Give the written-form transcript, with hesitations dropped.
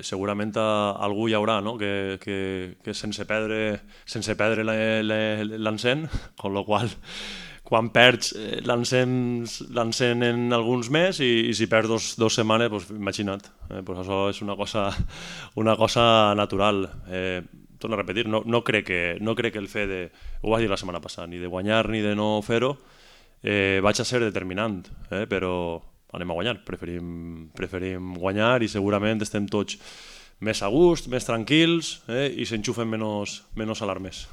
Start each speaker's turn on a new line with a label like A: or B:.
A: Segurament algú hi haurà, no? que sense perdre l'encén, con lo qual quan perds l'encén en alguns mesos i si perds dos setmanes, pues, imagina't, pues això és una cosa natural. Torno a repetir, no crec que el fet de, ho vaig dir la setmana passada, ni de guanyar ni de no fer-ho, vaig a ser determinant, però anem a guanyar, preferim guanyar i segurament estem tots més a gust, més tranquils i s'enxufen menys alarmes.